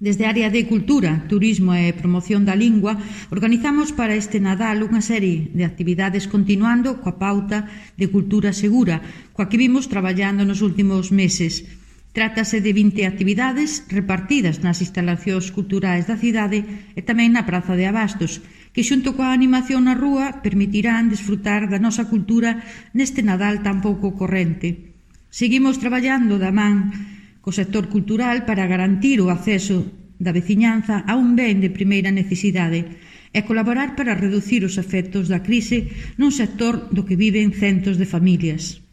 Desde a área de Cultura, Turismo e Promoción da Lingua, organizamos para este Nadal unha serie de actividades continuando coa pauta de cultura segura, coa que vimos traballando nos últimos meses. Trátase de 20 actividades repartidas nas instalacións culturais da cidade e tamén na Praza de Abastos, que xunto coa animación na rúa permitirán desfrutar da nosa cultura neste Nadal tan pouco corrente. Seguimos traballando da man co sector cultural para garantir o acceso da veciñanza a un ben de primeira necesidade e colaborar para reducir os efectos da crise nun sector do que viven centos de familias.